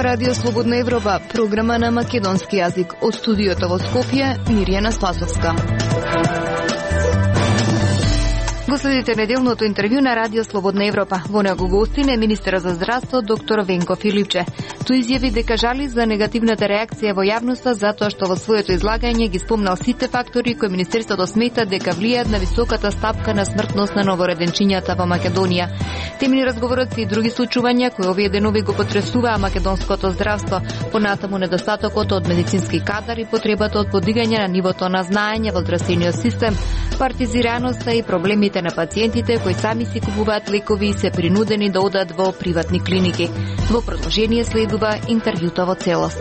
Радио Слободна Европа, програма на македонски јазик. Од студиото во Скопје, Мирјана Спасовска. Го следите неделното интервју на Радио Слободна Европа. Во него гостин е министерот за здравство доктор Венко Филипче. Тој изјави дека жали за негативната реакција во јавноста затоа што во своето излагање ги спомнал сите фактори кои министерството смета дека влијаат на високата стапка на смртност на новороденчињата во Македонија. Темни разговорот и други случувања кои овие денови го потресуваа македонското здравство, понатаму недостатокот од медицински кадар и потребата од подигање на нивото на знаење во здравствениот систем, партизираноста и проблемите на пациентите кои сами си купуваат лекови и се принудени да одат во приватни клиники. Во продолжение следува интервјуто во целост.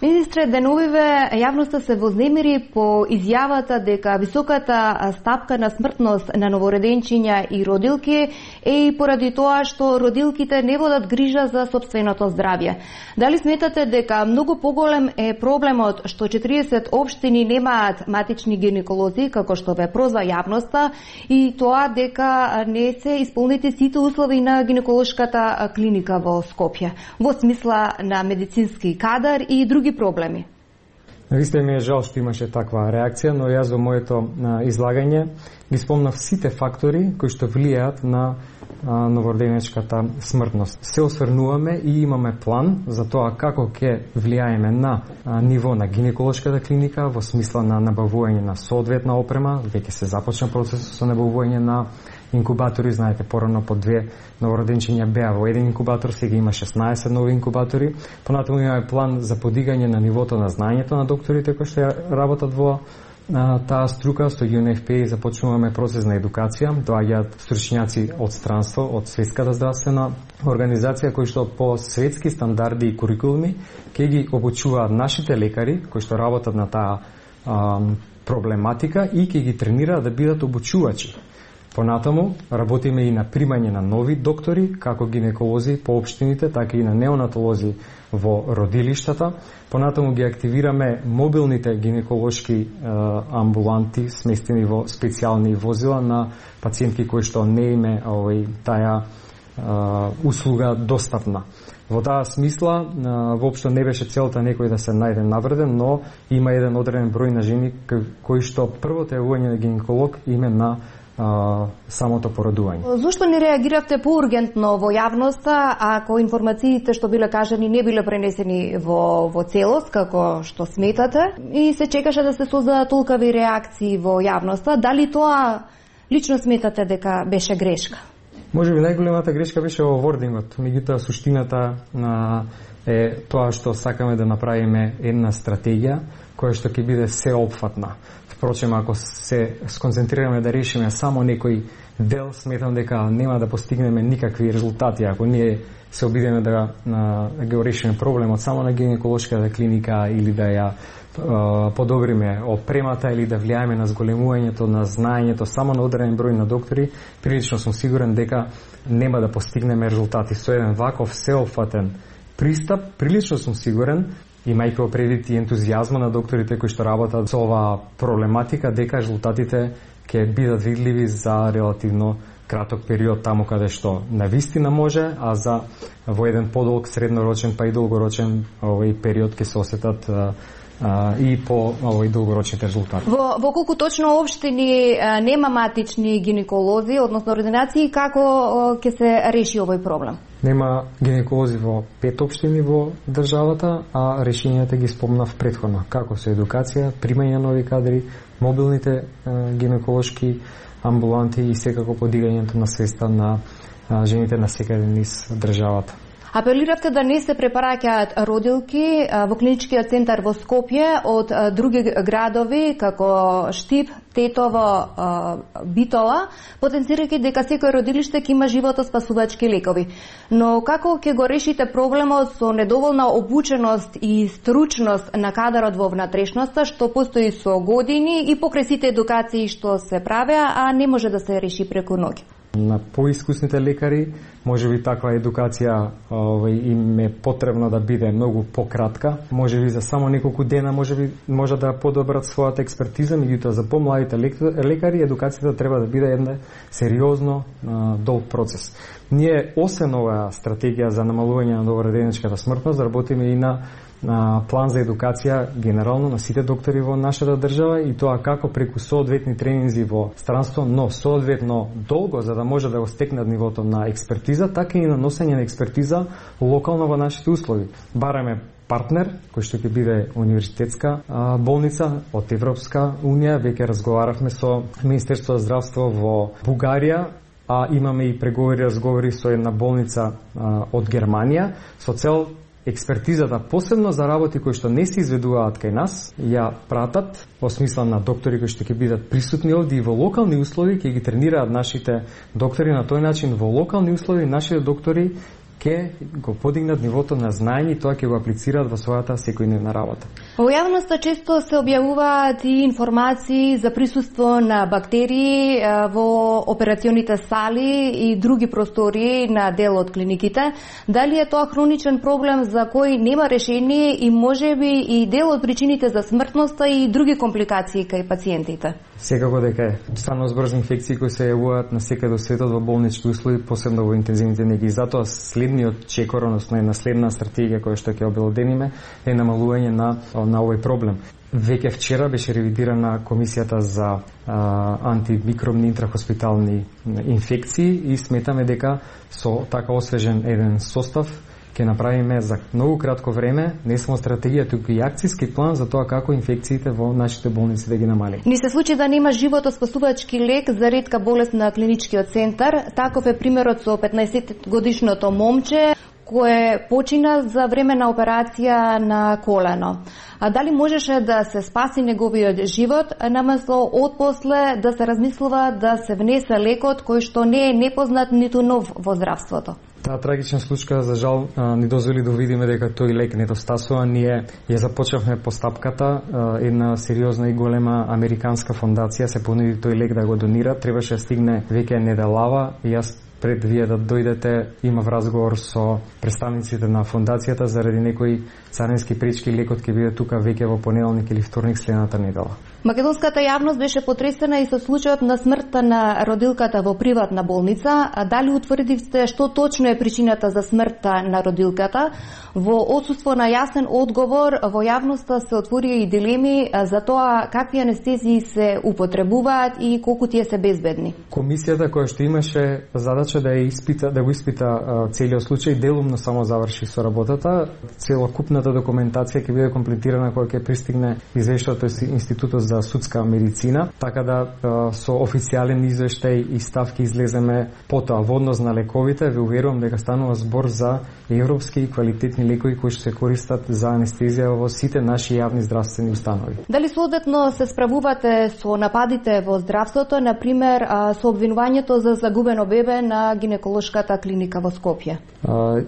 Министре, деновиве јавноста се вознемири по изјавата дека високата стапка на смртност на новороденчиња и родилки е и поради тоа што родилките не водат грижа за сопственото здравје. Дали сметате дека многу поголем е проблемот што 40 општини немаат матични гинеколози, како што ве прозва јавноста, и тоа дека не се исполнети сите услови на гинеколошката клиника во Скопје, во смисла на медицински кадар и други проблеми? Навистина ми е жал што имаше таква реакција, но јас во моето излагање ги спомнав сите фактори кои што влијаат на новороденечката смртност. Се осврнуваме и имаме план за тоа како ќе влијаеме на ниво на гинеколошката клиника во смисла на набавување на соодветна опрема. Веќе се започна процесот со набавување на инкубатори, знаете, порано по 2 новороденчиња беа во еден инкубатор, сега има 16 нови инкубатори. Понатаму имаме план за подигање на нивото на знаењето на докторите кои што работат во таа струка. Со UNFPA започнуваме процес на едукација, доаѓаат стручњаци од странство, од Светската здравствена организација кои што по светски стандарди и курикулуми ќе ги обучуваат нашите лекари кои што работат на таа проблематика и ќе ги тренираат да бидат обучувачи. Понатаму работиме и на примање на нови доктори, како гинеколози по општините, така и на неонатолози во родилиштата. Понатаму ги активираме мобилните гинеколошки амбуланти, сместени во специјални возила на пациентки кои што не име таа услуга достапна. Во таа смисла, воопшто не беше целта некој да се најде навреден, но има еден одреден број на жени кои што првото јавување на гинеколог име на самото породување. Зошто не реагиравте поургентно во јавноста, ако информациите што биле кажани не биле пренесени во целост, како што сметате, и се чекаше да се создадат толкави реакции во јавноста? Дали тоа лично сметате дека беше грешка? Можеби најголемата грешка беше во вордингот, меѓутоа суштината е тоа што сакаме да направиме една стратегија која што ќе биде сеопфатна. Впрочем, ако се сконцентрираме да решиме само некој дел, сметам дека нема да постигнеме никакви резултати. Ако ние се обидеме да го решиме проблемот само на гинеколошката клиника или да ја подобриме опремата или да влијаеме на зголемувањето на знаењето само на одреден број на доктори, прилично сум сигурен дека нема да постигнеме резултати. Со еден ваков сеопфатен пристап, прилично сум сигурен, имајќи предвид и ентузијазма на докторите кои што работат со оваа проблематика, дека резултатите ќе бидат видливи за релативно краток период, таму каде што навистина може, а за во еден подолг среднорочен па и долгорочен период ќе се осетат и по долгорочните резултати. Во колку точно општини нема матични гинеколози, односно ординации, како ќе се реши овој проблем? Нема гинеколози во 5 општини во државата, а решенијата ги спомнав претходно, како со едукација, примање нови кадри, мобилните гинеколошки амбуланти и секако подигањето на свеста на жените на секаде низ државата. Апелиравте да не се препараќаат родилки во клиничкиот центар во Скопје од други градови како Штип, Тетово, Битола, потенцирајќи дека секој родилиште ќе има животоспасувачки лекови. Но како ќе го решите проблемот со недоволна обученост и стручност на кадарот во внатрешноста, што постои со години и покрај сите едукации што се правеа, а не може да се реши преку ноќ? на поискусните лекари, можеби таква едукација им е потребно да биде многу пократка, можеби за само неколку дена може да подобрат својата експертиза, меѓутоа за помладите лекари едукацијата треба да биде една сериозно долг процес. Ние освен оваа стратегија за намалување на добровредничката смртност, работиме и на план за едукација генерално на сите доктори во нашата држава и тоа како преку соодветни тренинзи во странство, но соодветно долго за да може да го стекнат нивото на експертиза, така и на носење на експертиза локално во нашите услови. Бараме партнер, кој што ќе биде универзитетска болница од Европска унија, веќе разговаравме со Министерството за здравство во Бугарија, а имаме и разговори со една болница од Германија со цел експертизата, посебно за работи кои што не се изведуваат кај нас, ја пратат во смисла на доктори кои што ќе бидат присутни овде и во локални услови, ќе ги тренираат нашите доктори на тој начин во локални услови, нашите доктори ќе го подигнат нивото на знаење и тоа ќе го аплицираат во својата секојдневна работа. Во јавноста често се објавуваат и информации за присуство на бактерии во операционите сали и други простори на дел од клиниките. Дали е тоа хроничен проблем за кој нема решение и можеби и дел од причините за смртноста и други компликации кај пациентите? Секако дека е. Стварно збрзни инфекции кои се јавуваат на секаде во светот во болнички услови, посебно во интензивните неги. Затоа следниот чекор, односно една следна стратегија која што ќе обелодениме е намалување на овој проблем. Веќе вчера беше ревидирана комисијата за антимикробни интрахоспитални инфекции и сметаме дека со така освежен еден состав ќе направиме за многу кратко време не само стратегија, туку и акцијски план за тоа како инфекциите во нашите болници да ги намалим. Ни се случи да нема животоспасувачки лек за ретка болест на клиничкиот центар. Таков е примерот со 15-годишното момче кое почина за време на операција на колено. А дали можеше да се спаси неговиот живот, наместо отпосле да се размислува да се внесе лекот кој што не е непознат ниту нов во здравството? Таа трагична случка, за жал, ни дозволи да видиме дека тој лек недостасува. Ние ја започнавме постапката, една сериозна и голема американска фондација се понуди тој лек да го донира. Требаше да стигне веќе неделава и јас пред вие да дојдете имав разговор со представниците на фондацијата заради некои царински пречки. Лекот ќе биде тука веќе во понеделник или вторник следната недела. Македонската јавност беше потресена и со случајот на смртта на родилката во приватна болница. А дали утврдивте што точно е причината за смртта на родилката? Во отсуство на јасен одговор во јавноста се отворија и дилеми за тоа какви анестезии се употребуваат и колку тие се безбедни. Комисијата која што имаше задача да го испита целиот случај, делумно само заврши со работата. Целокупната документација ќе биде комплетирана кога ќе пристигне извештајот од Институтот за судска медицина, така да со официјален извештај и ставки излеземе потоа. Во однос на лековите, ве уверувам дека станува збор за европски и квалитетни лекови кои се користат за анестезија во сите наши јавни здравствени установи. Дали соодветно се справувате со нападите во здравството, на пример со обвинувањето за загубено бебе на гинеколошката клиника во Скопје?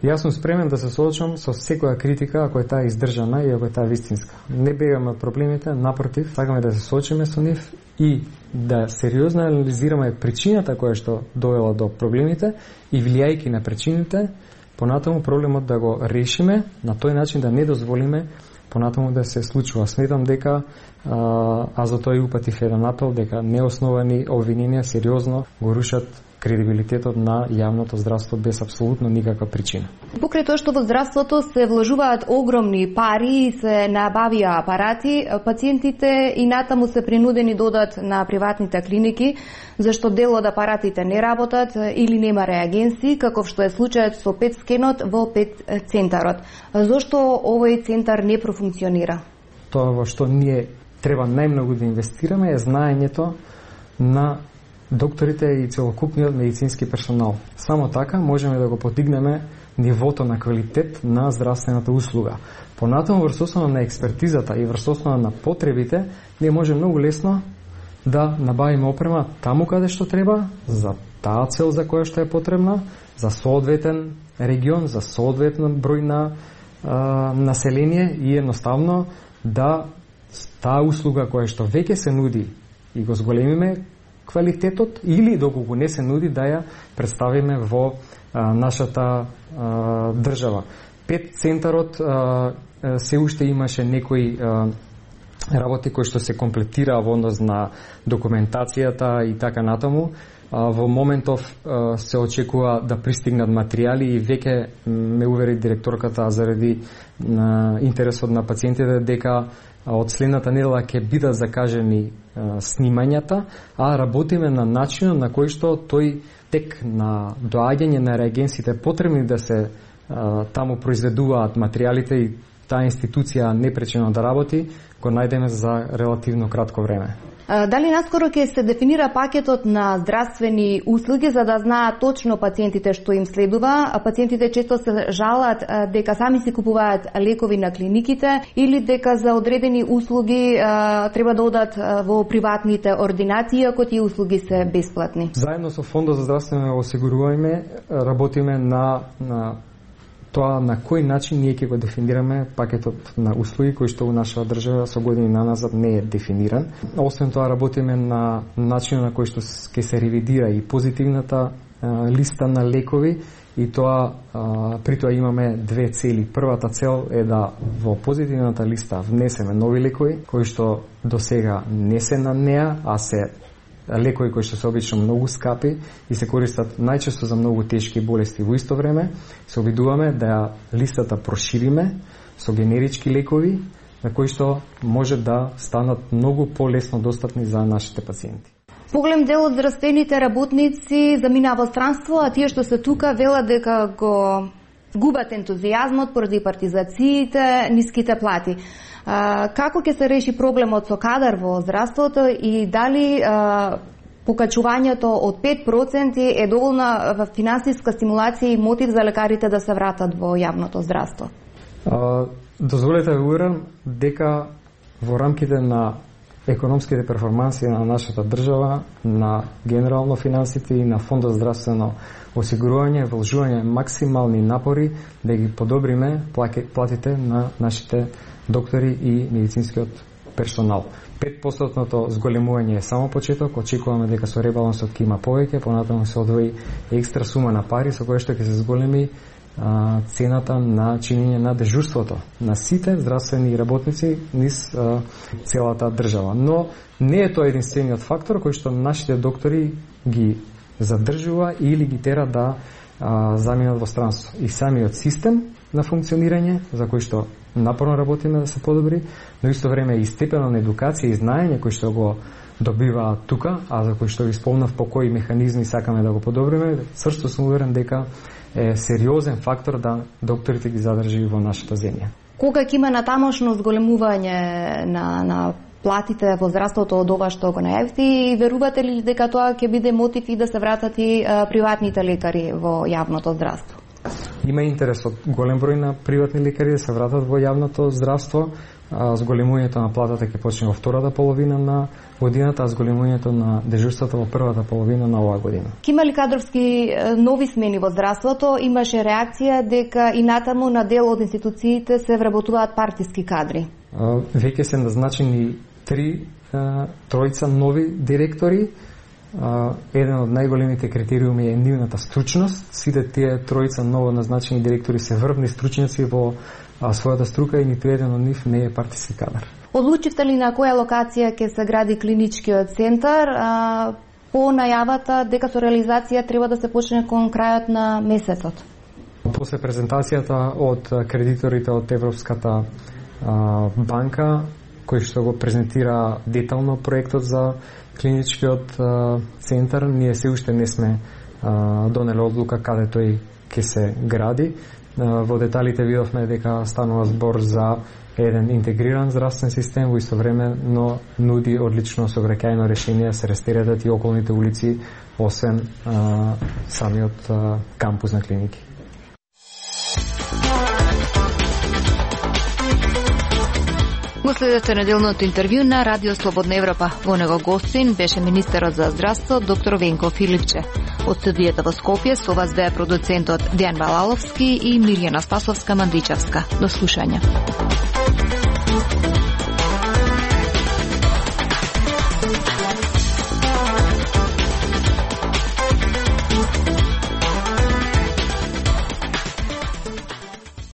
Јас сум спремен да се соочам со секоја критика ако е таа издржана и ако е таа вистинска. Не бегаме од проблемите, напротив, сакаме да се соочиме со нив и да сериозно анализираме причината која што довела до проблемите и влијајќи на причините, понатаму проблемот да го решиме на тој начин да не дозволиме понатаму да се случува. Сметам дека за тоа и упатив еден апел дека неосновани обвиненија сериозно го рушат кредибилитетот на јавното здравство без апсолутно никаква причина. Покрај тоа што во здравството се вложуваат огромни пари и се набавија апарати, пациентите и натаму се принудени да одат на приватните клиники, зашто дел од апаратите не работат или нема реагенси, каков што е случајот со ПЕТ скенот во ПЕТ центарот. Зошто овој центар не профункционира? Тоа во што ние треба најмногу да инвестираме е знаењето на докторите и целокупниот медицински персонал. Само така можеме да го подигнеме нивото на квалитет на здравствената услуга. Понатаму врз основа на експертизата и врз основа на потребите, ние може многу лесно да набавиме опрема таму каде што треба, за таа цел за која што е потребна, за соодветен регион, за соодветен број на население и едноставно да таа услуга која што веќе се нуди и го зголемиме квалитетот или доколку не се нуди да ја представиме во нашата држава. Пет центарот се уште имаше некои работи кои што се комплетираа во однос на документацијата и така натаму. Во моментов се очекува да пристигнат материјали и веќе ме увери директорката заради интересот на пациентите дека од следната недела ќе бидат закажени снимањата, а работиме на начинот на кој што тој тек на доаѓање на реагенсите потребни да се таму произведуваат материјалите и таа институција непречено да работи, го најдеме за релативно кратко време. Дали наскоро ќе се дефинира пакетот на здравствени услуги за да знаат точно пациентите што им следува? Пациентите често се жалат дека сами си купуваат лекови на клиниките или дека за одредени услуги треба да одат во приватните ординации, ако тие услуги се бесплатни. Заедно со Фондот за здравствено осигурување работиме на тоа на кој начин ние ќе го дефинираме пакетот на услуги кој што во нашата држава со години наназад не е дефиниран. Освен тоа работиме на начинот на кој што ќе се ревидира и позитивната листа на лекови и тоа при тоа имаме две цели. Првата цел е да во позитивната листа внесеме нови лекови кои што досега не се на неа, а се лекови кои што се обично многу скапи и се користат најчесто за многу тешки болести. Во исто време се обидуваме да листата прошириме со генерички лекови на кои што може да станат многу полесно достапни за нашите пациенти. Поголем дел од здравствените работници замина во странство, а тие што се тука велат дека го губат ентузијазмот поради партизациите, ниските плати. Како ќе се реши проблемот со кадар во здравството и дали покачувањето од 5% е доволна финансиска стимулација и мотив за лекарите да се вратат во јавното здравство? Дозволете да уверам дека во рамките на економските перформанси на нашата држава, на генерално финансите и на Фондот за здравствено осигурување, вложување максимални напори да ги подобриме платите на нашите доктори и медицинскиот персонал. 5% зголемување е само почеток, очекуваме дека со ребалансот ќе има повеќе, понатаму се одвои екстра сума на пари со која што ќе се зголеми цената на чинење на дежурството на сите здравствени работници низ целата држава. Но не е тоа единствениот фактор кој што нашите доктори ги задржува или ги тера да заминат во странство. И самиот систем на функционирање, за кој што напорно работиме да се подобри, но исто време и степено на едукација и знаење кој што го добива тука, а за кој што ви спомнав по кои механизми сакаме да го подобриме, цврсто сум уверен дека е сериозен фактор да докторите ги задржи во нашата земја. Кога ќе има натамошно зголемување на платите во здравството од ова што го најавите и верувате ли дека тоа ќе биде мотив и да се вратат и приватните лекари во јавното здравство? Има интерес од голем број на приватни лекари да се вратат во јавното здравство. Зголемувањето на платата ќе почне во втората половина на годината, а зголемувањето на дежурството во првата половина на оваа година. Има ли кадровски нови смени во здравството? Имаше реакција дека и натаму на дел од институциите се вработуваат партиски кадри. Веќе се назначени тројца нови директори. Еден од најголемите критериуми е нивната стручност. Сите тие тројца ново назначени директори се врвни стручњаци во својата струка и ниту еден од нив не е партиски кадар. Одлучивте ли на која локација ќе се гради клиничкиот центар? По најавата дека со реализација треба да се почне кон крајот на месецот. После презентацијата од кредиторите од Европската банка, кој што го презентира детално проектот за клиничкиот центар, ние се уште не сме донели одлука каде тој ќе се гради. Во деталите видовме дека станува збор за еден интегриран здравствен систем, во исто време, но нуди одлично сообраќајно решение да се растеретат и околните улици, освен самиот кампус на клиники. Го следете неделното интервју на Радио Слободна Европа. Во него гостин беше министерот за здравство доктор Венко Филипче. Од студијата во Скопје со вас беа продуцентот Дејан Балаловски и Мирјана Спасовска-Мандичевска. До слушање.